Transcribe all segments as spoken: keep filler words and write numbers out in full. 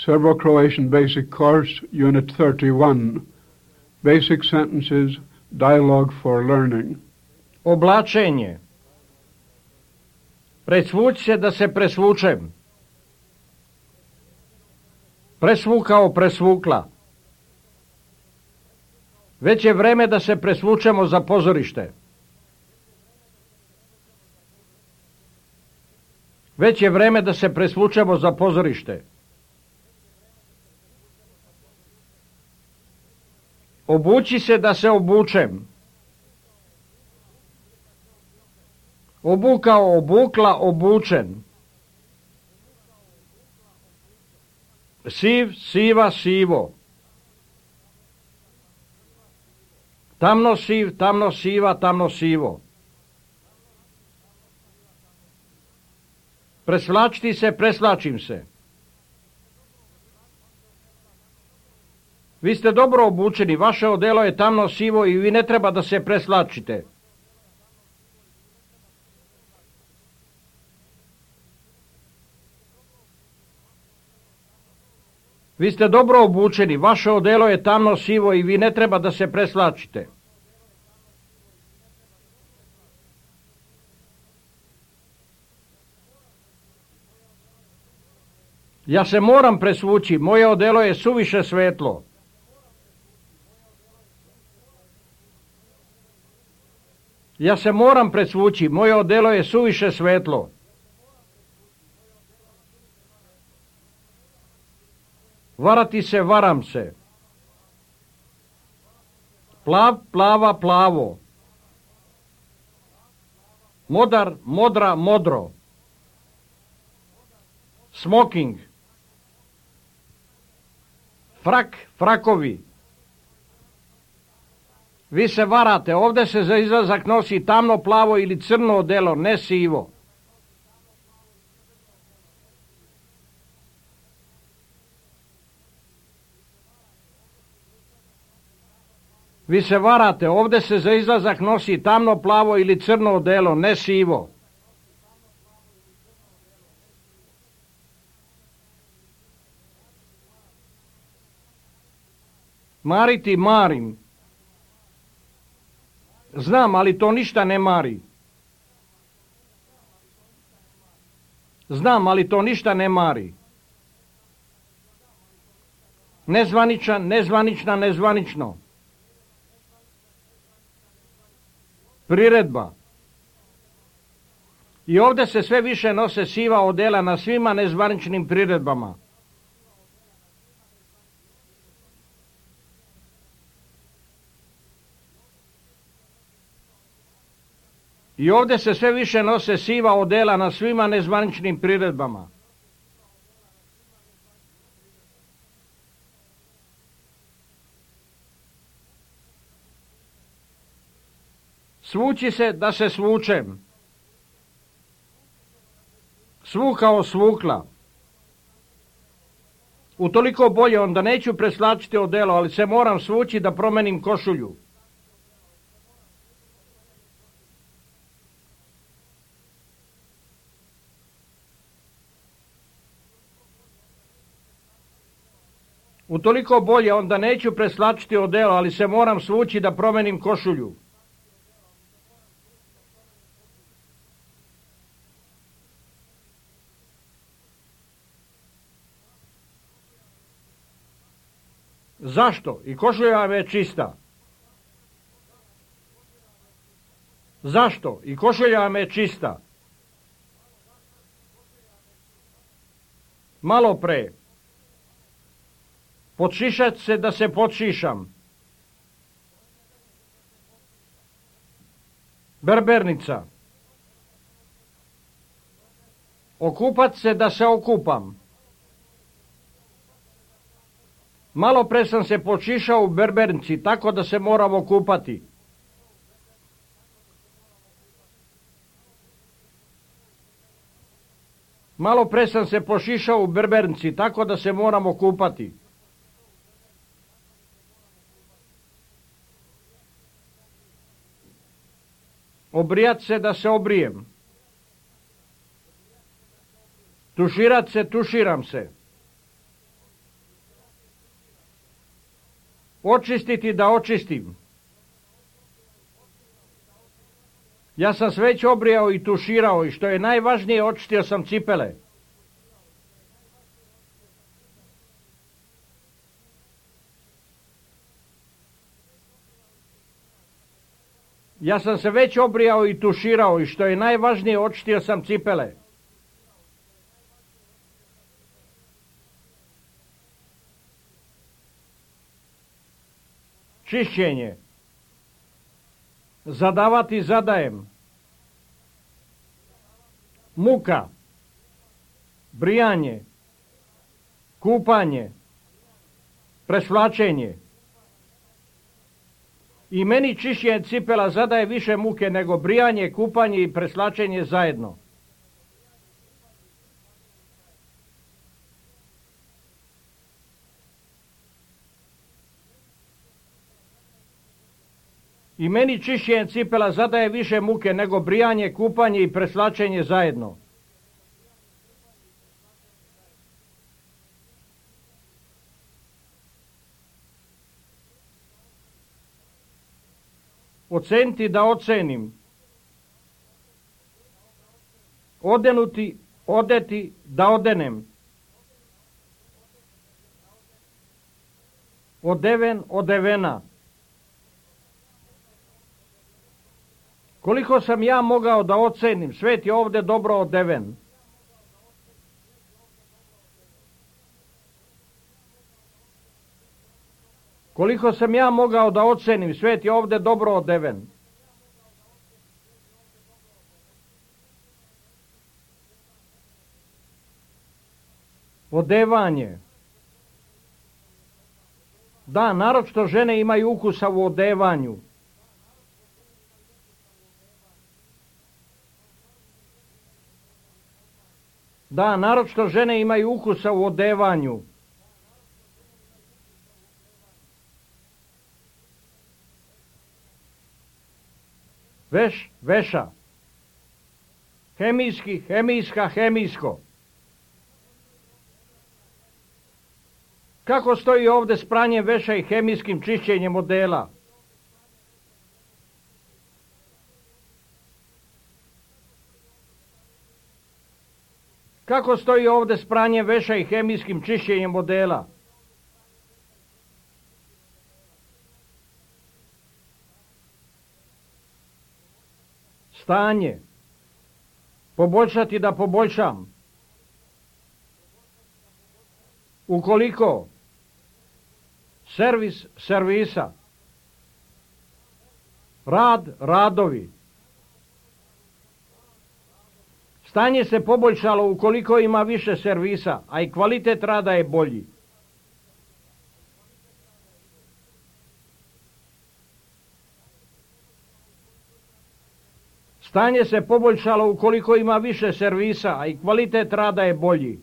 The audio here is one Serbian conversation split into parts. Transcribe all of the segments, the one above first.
Serbo-Croatian Basic Course, Unit thirty-one, Basic Sentences, Dialogue for Learning. Oblačenje. Presvući se da se presvučem. Presvukao, presvukla. Već je vreme da se presvučemo za pozorište. Već je vreme da se presvučemo za pozorište. Obući se da se obučem. Obukao, obukla, obučen. Siv, siva, sivo. Tamno siv, tamno siva, tamno sivo. Presvlačiti se, presvlačim se. Vi ste dobro obučeni, vaše odelo je tamno sivo i vi ne treba da se presvlačite. Vi ste dobro obučeni, vaše odelo je tamno sivo i vi ne treba da se presvlačite. Ja se moram presvući, moje odelo je suviše svetlo. Ja se moram presvući, moje odelo je suviše svetlo. Varati se, varam se. Plav, plava, plavo. Modar, modra, modro. Smoking. Frak, frakovi. Vi se varate, ovdje se za izlazak nosi tamno, plavo ili crno odelo, ne sivo. Vi se varate, ovdje se za izlazak nosi tamno, plavo ili crno odelo, ne sivo. Mariti, marim. Znam, ali to ništa ne mari. Znam, ali to ništa ne mari. Nezvaničan, nezvanična, nezvanično. Priredba. I ovdje se sve više nose siva odela na svima nezvaničnim priredbama. I ovdje se sve više nose siva odela na svima nezvaničnim priredbama. Svući se da se svučem. Svukao, svukla. Utoliko bolje, onda neću preslačiti odelo, ali se moram svući da promenim košulju. Utoliko bolje, onda neću preslačiti odelo, ali se moram svući da promenim košulju. Zašto? I košulja vam je čista. Zašto? I košulja vam je čista. Malo pre. Podšišat se da se podšišam. Berbernica. Okupat se da se okupam. Malo pre sam se podšišao u berbernici, tako da se moram okupati. Malo pre sam se pošišao u berbernici, tako da se moram okupati. Obrijat se da se obrijem. Tuširat se, tuširam se. Očistiti da očistim. Ja sam se već obrijao i tuširao i što je najvažnije, očistio sam cipele. Ja sam se već obrijao i tuširao i što je najvažnije, očistio sam cipele. Čišćenje. Zadavati zadajem. Muka. Brijanje. Kupanje. Presvlačenje. I meni čišćenje cipela zadaje više muke nego brijanje, kupanje i preslačenje zajedno. I meni čišćenje cipela zadaje više muke nego brijanje, kupanje i preslačenje zajedno. Oceniti da ocenim. Odenuti, odeti, da odenem. Odeven, odevena. Koliko sam ja mogao da ocenim, svet je ovde dobro odeven. Koliko sam ja mogao da ocenim, svet je ovde dobro odeven. Odevanje. Da, naročito žene imaju ukusa u odevanju. Da, naročito žene imaju ukusa u odevanju. Veš, veša. Hemijski, hemijska, hemijsko. Kako stoji ovde s pranjem veša i hemijskim čišćenjem odela? Kako stoji ovde s pranjem veša i hemijskim čišćenjem odela? Stanje. Poboljšati da poboljšam. Ukoliko. Servis, servisa. Rad, radovi. Stanje se poboljšalo ukoliko ima više servisa, a i kvalitet rada je bolji. Stanje se poboljšalo ukoliko ima više servisa, a i kvalitet rada je bolji.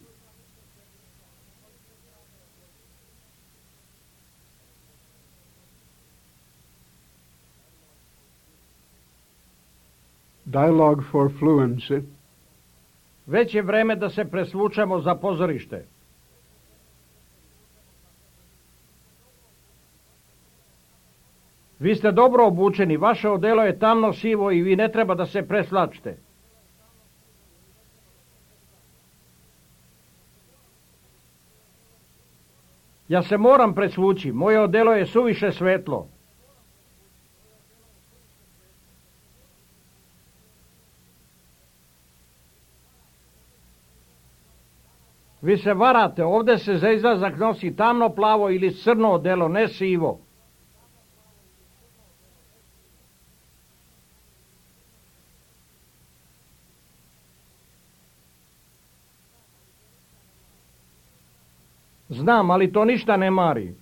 Dialogue for fluency. Već je vreme da se presvučemo za pozorište. Vi ste dobro obučeni, vaše odelo je tamno sivo i vi ne treba da se preslačite. Ja se moram presvući, moje odelo je suviše svetlo. Vi se varate, ovde se za izlazak nosi tamno plavo ili crno odelo, ne sivo. Znam, ali to ništa ne mari.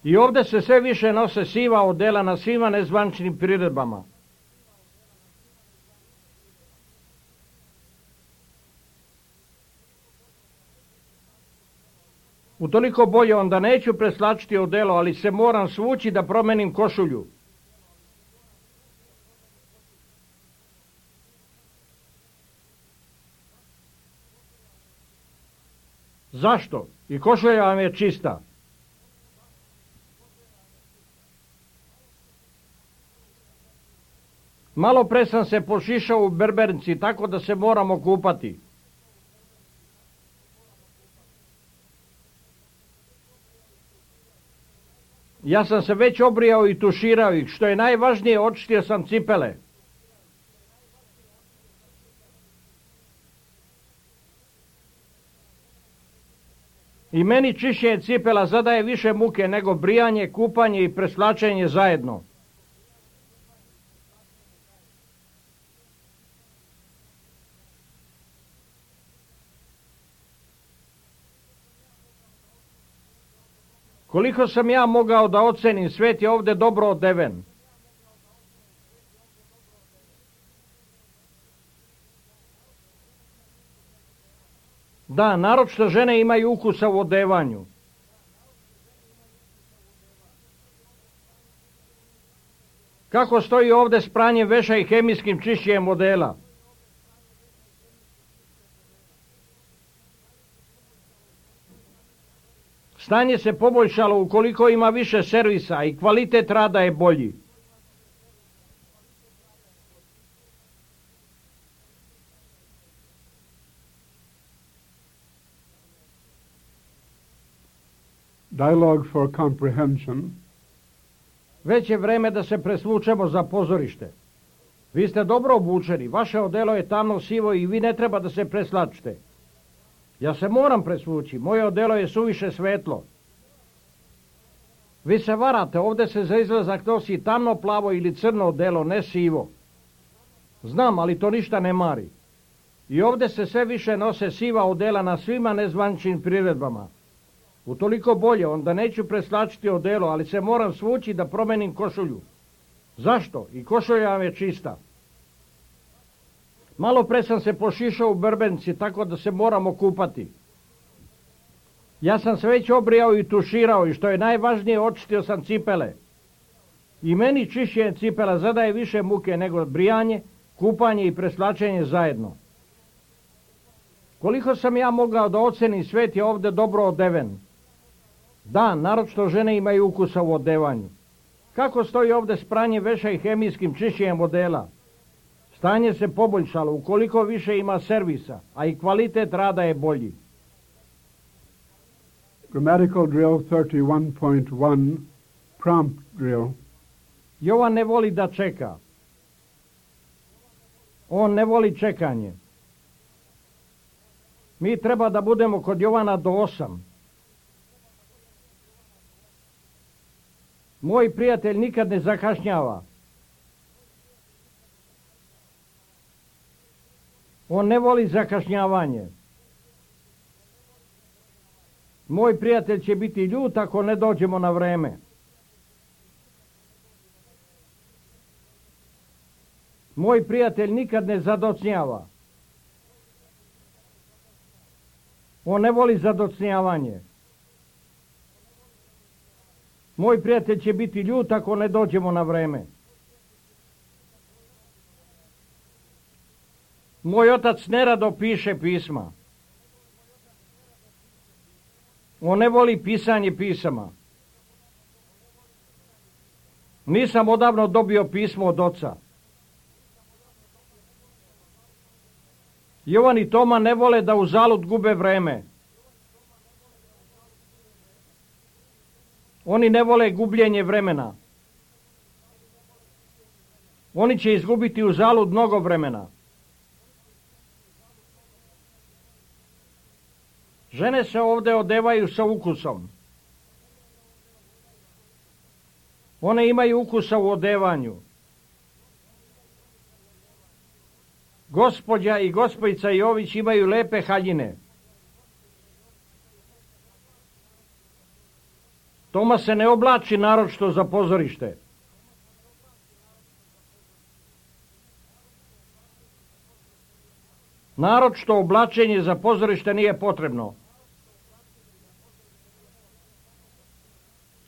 I ovde se sve više nose siva odela na svima nezvančnim priredbama. Utoliko bolje, onda neću preslačiti odelo, ali se moram svući da promenim košulju. Zašto? I košulja vam je čista. Malo pre sam se pošišao u berbernici, tako da se moramo kupati. Ja sam se već obrijao i tuširao ih, što je najvažnije, očistio sam cipele. I meni čišćenje cipela zadaje više muke nego brijanje, kupanje i preslačenje zajedno. Koliko sam ja mogao da ocenim, svet je ovde dobro odeven. Da, naročito žene imaju ukusa u odevanju. Kako stoji ovde s pranjem veša i hemijskim čišćenjem odela? Stanje se poboljšalo ukoliko ima više servisa i kvalitet rada je bolji. Dialogue for comprehension. Već je vreme da se presvučemo za pozorište. Vi ste dobro obučeni, vaše odelo je tamno sivo i vi ne treba da se preslačite. Ja se moram presvući, moje odelo je suviše svetlo. Vi se varate, ovde se za izlazak nosi tamno plavo ili crno odelo, ne sivo. Znam, ali to ništa ne mari. I ovde se sve više nose siva odela na svima nezvaničnim priredbama. Utoliko bolje, onda neću preslačiti odelo, ali se moram svući da promenim košulju. Zašto? I košulja vam je čista. Malo pre sam se pošišao u berbernici, tako da se moramo kupati. Ja sam se već obrijao i tuširao i što je najvažnije, očistio sam cipele. I meni čišćenje cipela zadaje više muke nego brijanje, kupanje i preslačenje zajedno. Koliko sam ja mogao da ocenim, svet je ovde dobro odeven. Da, naročito žene imaju ukusa u odevanju. Kako stoji ovde s pranjem veša i hemijskim čišćenjem odela? Stanje se poboljšalo ukoliko više ima servisa, a i kvalitet rada je bolji. Grammatical drill thirty-one point one, prompt drill. Jovan ne voli da čeka. On ne voli čekanje. Mi treba da budemo kod Jovana do osam. Moj prijatelj nikad ne zakašnjava. On ne voli zakašnjavanje. Moj prijatelj će biti ljut ako ne dođemo na vreme. Moj prijatelj nikad ne zadocnjava. On ne voli zadocnjavanje. Moj prijatelj će biti ljut ako ne dođemo na vreme. Moj otac nerado piše pisma. On ne voli pisanje pisama. Nisam odavno dobio pismo od oca. Jovan i Toma ne vole da uzalud gube vreme. Oni ne vole gubljenje vremena. Oni će izgubiti uzalud mnogo vremena. Žene se ovde odevaju sa ukusom. One imaju ukusa u odevanju. Gospođa i gospojica Jović imaju lepe haljine. Toma se ne oblači naročito za pozorište. Naročito oblačenje za pozorište nije potrebno.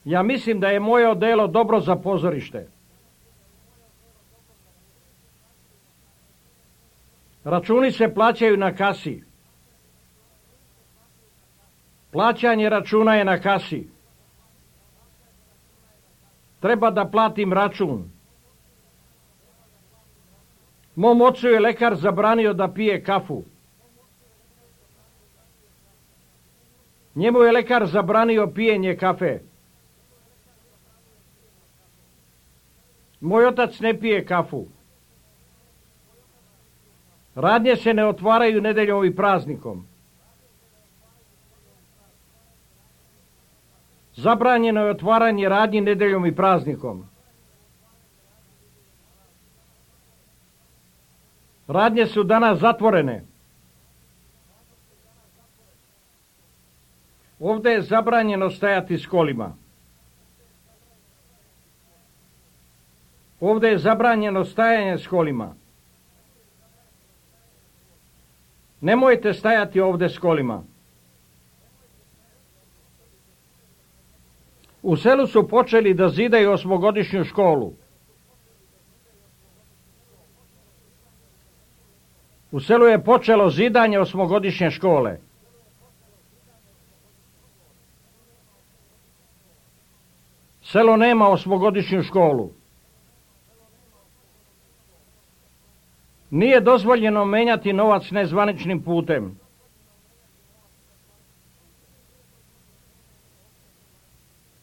Ja mislim da je moje odelo dobro za pozorište. Računi se plaćaju na kasi. Plaćanje računa je na kasi. Treba da platim račun. Mom ocu je lekar zabranio da pije kafu. Njemu je lekar zabranio pijenje kafe. Moj otac ne pije kafu. Radnje se ne otvaraju nedeljom i praznikom. Zabranjeno je otvaranje radnji nedeljom i praznikom. Radnje su danas zatvorene. Ovdje je zabranjeno stajati s kolima. Ovdje je zabranjeno stajanje s kolima. Nemojte stajati ovdje s kolima. U selu su počeli da zidaju osmogodišnju školu. U selu je počelo zidanje osmogodišnje škole. Selo nema osmogodišnju školu. Nije dozvoljeno menjati novac nezvaničnim putem.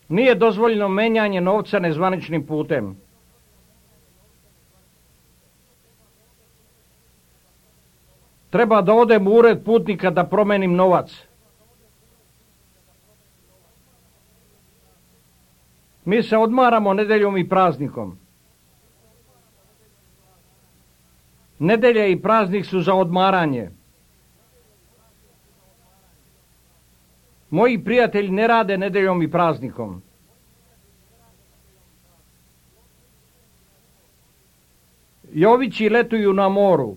Nije dozvoljeno menjanje novca nezvaničnim putem. Treba da odem u ured putnika da promenim novac. Mi se odmaramo nedeljom i praznikom. Nedelje i praznik su za odmaranje. Moji prijatelji ne rade nedeljom i praznikom. Jovići letuju na moru.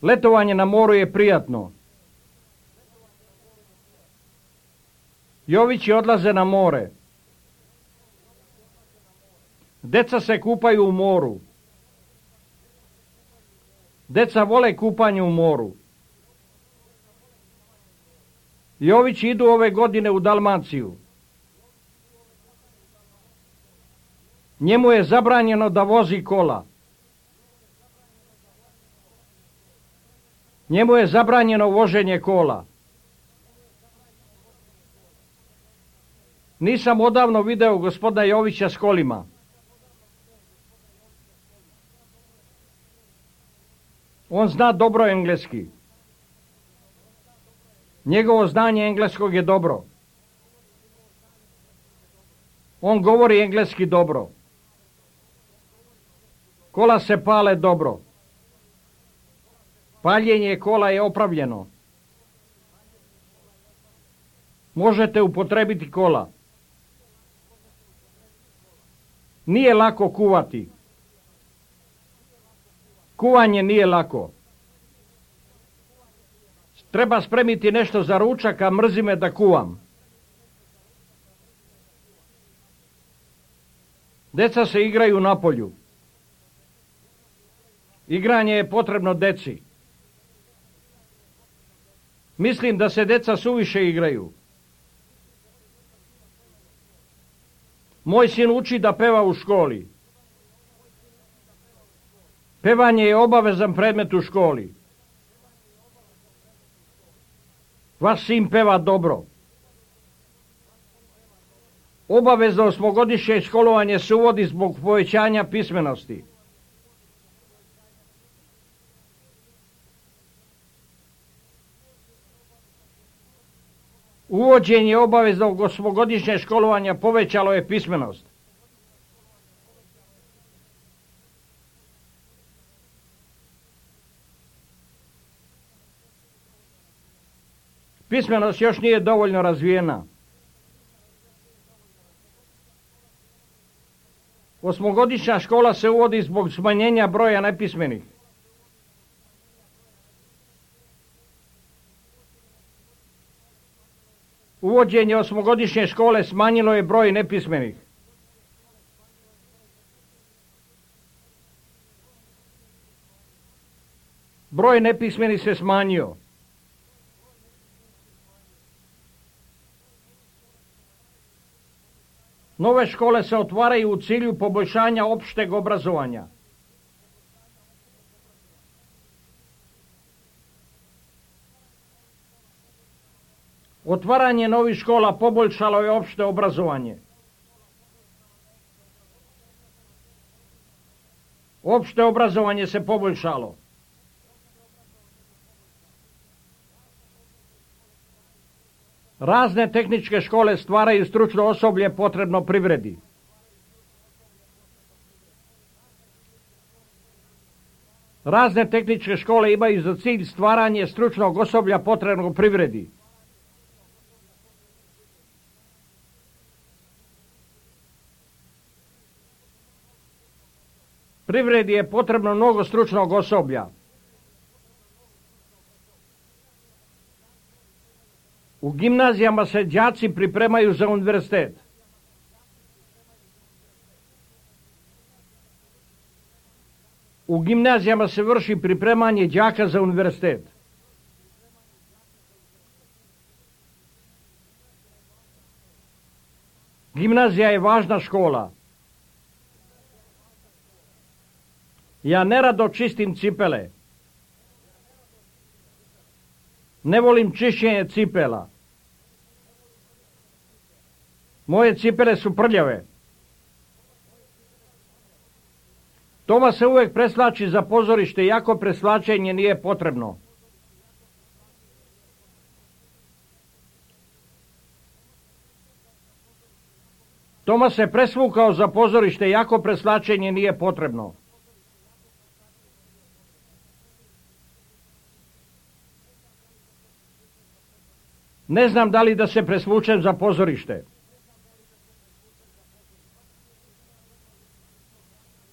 Letovanje na moru je prijatno. Jovići odlaze na more. Deca se kupaju u moru. Deca vole kupanje u moru. Jovići idu ove godine u Dalmaciju. Njemu je zabranjeno da vozi kola. Njemu je zabranjeno voženje kola. Nisam odavno video gospodina Jovića s kolima. On zna dobro engleski. Njegovo znanje engleskog je dobro. On govori engleski dobro. Kola se pale dobro. Paljenje kola je opravljeno. Možete upotrebiti kola. Nije lako kuvati. Kuvanje nije lako. Treba spremiti nešto za ručak, a mrzi me da kuvam. Deca se igraju na polju. Igranje je potrebno deci. Mislim da se deca suviše igraju. Moj sin uči da peva u školi. Pevanje je obavezan predmet u školi. Vaš sin peva dobro. Obavezno osmogodišnje školovanje se uvodi zbog povećanja pismenosti. Uvođenje obaveznog osmogodišnje školovanja povećalo je pismenost. Pismenost još nije dovoljno razvijena. Osmogodišnja škola se uvodi zbog smanjenja broja nepismenih. Uvođenje osmogodišnje škole smanjilo je broj nepismenih. Broj nepismenih se smanjio. Nove škole se otvaraju u cilju poboljšanja opšteg obrazovanja. Otvaranje novih škola poboljšalo je opšte obrazovanje. Opšte obrazovanje se poboljšalo. Razne tehničke škole stvaraju stručno osoblje potrebno privredi. Razne tehničke škole imaju za cilj stvaranje stručnog osoblja potrebnog privredi. Privredi je potrebno mnogo stručnog osoblja. U gimnazijama se đaci pripremaju za univerzitet. U gimnazijama se vrši pripremanje đaka za univerzitet. Gimnazija je važna škola. Ja nerado čistim cipele. Ne volim čišćenje cipela. Moje cipele su prljave. Toma se uvek preslači za pozorište, iako preslačenje nije potrebno. Toma se presvukao za pozorište, iako preslačenje nije potrebno. Ne znam da li da se presvučem za pozorište.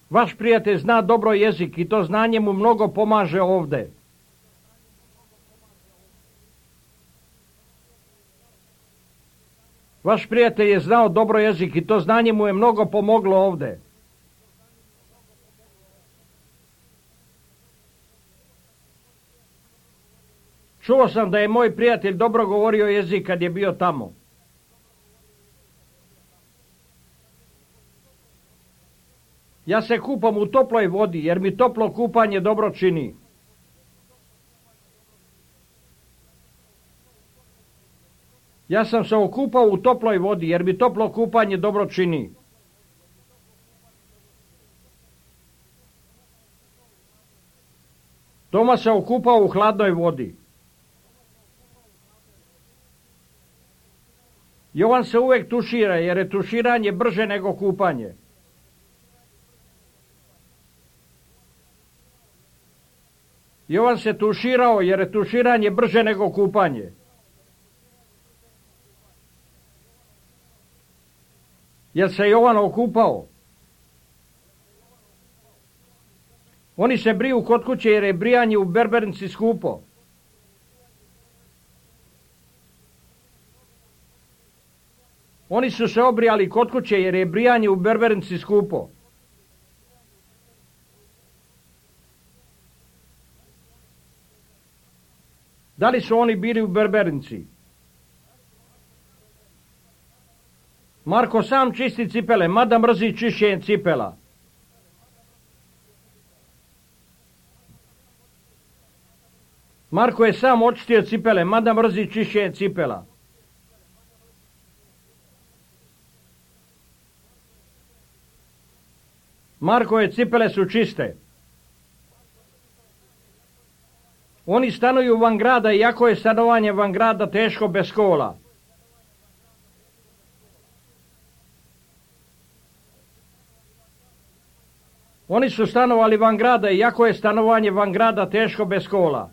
Vaš prijatelj zna dobro jezik i to znanje mu mnogo pomaže ovde. Vaš prijatelj je znao dobro jezik i to znanje mu je mnogo pomoglo ovde. Čuo sam da je moj prijatelj dobro govorio jezik kad je bio tamo. Ja se kupam u toploj vodi, jer mi toplo kupanje dobro čini. Ja sam se okupao u toploj vodi, jer mi toplo kupanje dobro čini. Toma se okupao u hladnoj vodi. Jovan se uvek tušira, jer je tuširanje brže nego kupanje. Jovan se tuširao, jer je tuširanje brže nego kupanje. Jer se Jovan okupao. Oni se briju kod kuće, jer je brijanje u berbernici skupo. Oni su se obrijali kod kuće, jer je brijanje u berbernici skupo. Da li su oni bili u berbernici? Marko sam čisti cipele, mada mrzi čišćenje cipela. Marko je sam očistio cipele, mada mrzi čišćenje cipela. Markove cipele su čiste. Oni stanuju van grada, iako je stanovanje van grada teško bez škola. Oni su stanovali van grada, iako je stanovanje van grada teško bez škola.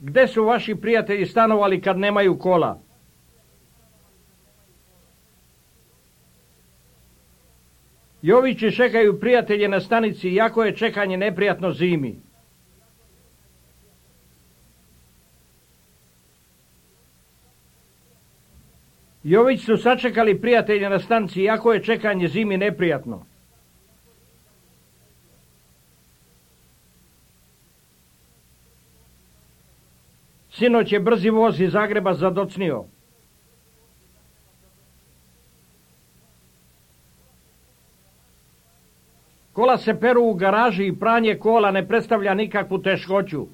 Gde su vaši prijatelji stanovali kad nemaju kola? Jovići čekaju prijatelje na stanici, iako je čekanje neprijatno zimi. Jović su sačekali prijatelje na stanici, iako je čekanje zimi neprijatno. Sinoć je brzi voz iz Zagreba zadocnio. Kola se peru u garaži i pranje kola ne predstavlja nikakvu teškoću.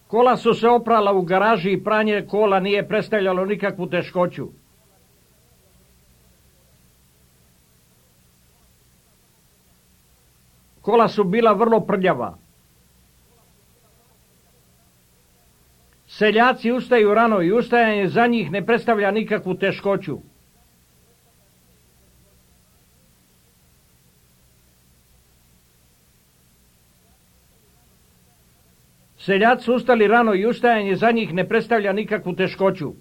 Kola su se oprala u garaži i pranje kola nije predstavljalo nikakvu teškoću. Kola su bila vrlo prljava. Seljaci ustaju rano i ustajanje za njih ne predstavlja nikakvu teškoću. Seljaci ustali rano i ustajanje za njih ne predstavlja nikakvu teškoću.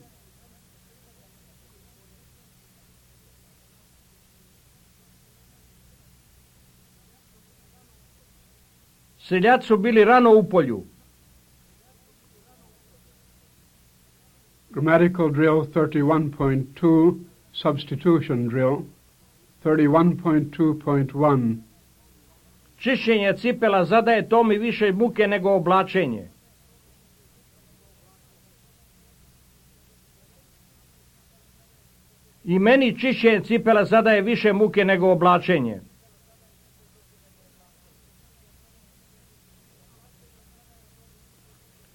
Seljaci su bili rano u polju. Grammatical drill thirty-one point two, substitution drill, thirty-one point two point one. Čišćenje cipela zadaje Tomi više muke nego oblačenje. I meni čišćenje cipela zadaje više muke nego oblačenje.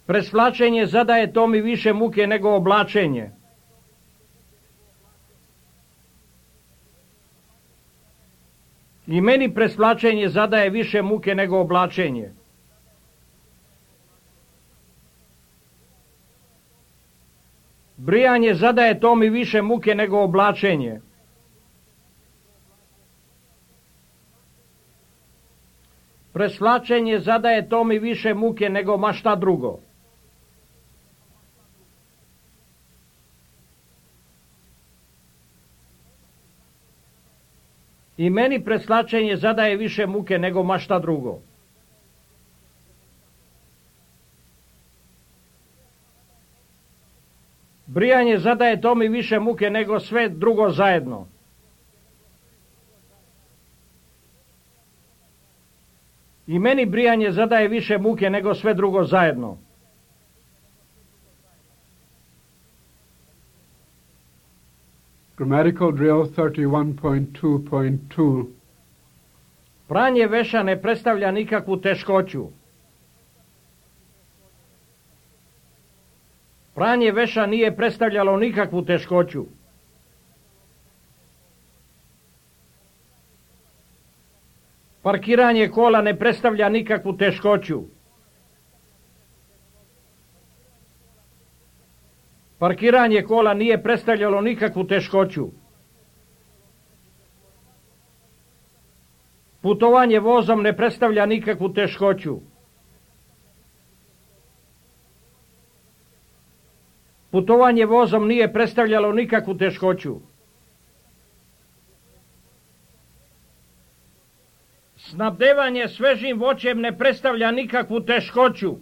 Presvlačenje zadaje Tomi više muke nego oblačenje. I meni presvlačenje zadaje više muke nego oblačenje. Brijanje zadaje Tomi više muke nego oblačenje. Presvlačenje zadaje Tomi više muke nego ma šta drugo. I meni presvlačenje zadaje više muke nego ma šta drugo. Brijanje zadaje Tomi više muke nego sve drugo zajedno. I meni brijanje zadaje više muke nego sve drugo zajedno. Grammatical drill thirty-one point two point two. Pranje veša ne predstavlja nikakvu teškoću. Pranje veša nije predstavljalo nikakvu teškoću. Parkiranje kola ne predstavlja nikakvu teškoću. Parkiranje kola nije predstavljalo nikakvu teškoću. Putovanje vozom ne predstavlja nikakvu teškoću. Putovanje vozom nije predstavljalo nikakvu teškoću. Snabdevanje svežim voćem ne predstavlja nikakvu teškoću.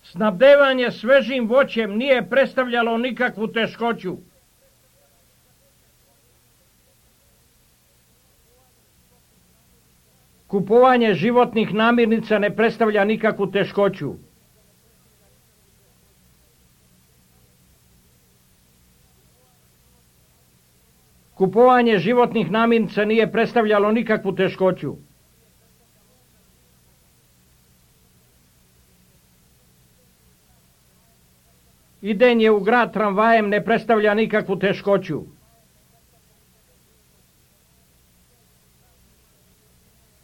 Snabdevanje svežim voćem nije predstavljalo nikakvu teškoću. Kupovanje životnih namirnica ne predstavlja nikakvu teškoću. Kupovanje životnih namirnica nije predstavljalo nikakvu teškoću. Idenje u grad tramvajem ne predstavlja nikakvu teškoću.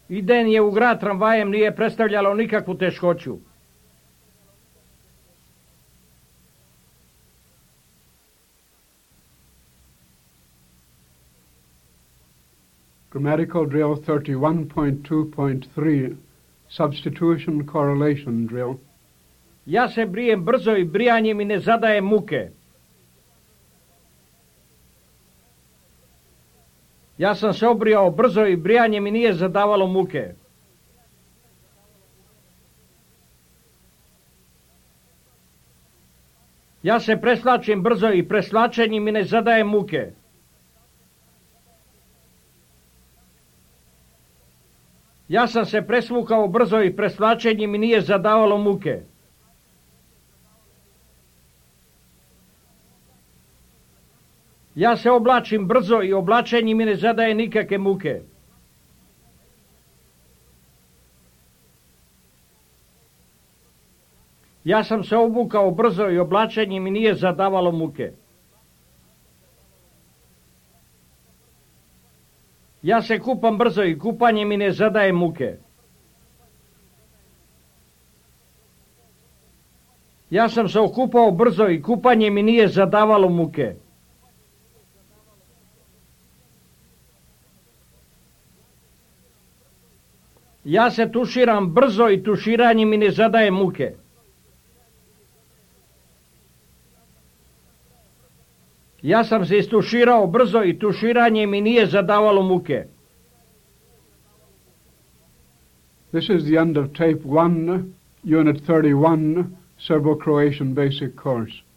Idenje u grad tramvajem nije predstavljalo nikakvu teškoću. Grammatical drill thirty-one point two point three, substitution correlation drill. Ja se brijem brzo i brijanje mi ne zadaje muke. Ja sam se obrijao brzo i brijanje mi nije zadavalo muke. Ja se preslačim brzo i preslačenje mi ne zadaje muke. Ja sam se presvukao brzo i preslačenje mi nije zadavalo muke. Ja se oblačim brzo i oblačenje mi ne zadaje nikakve muke. Ja sam se obukao brzo i oblačenje mi nije zadavalo muke. Ja se kupam brzo i kupanje mi ne zadaje muke. Ja sam se okupao brzo i kupanje mi nije zadavalo muke. Ja se tuširam brzo i tuširanje mi ne zadaje muke. Ja sam se istuširao brzo i tuširanje mi nije zadavalo muke. This is the end of Tape one, Unit thirty-one, Serbo-Croatian Basic Course.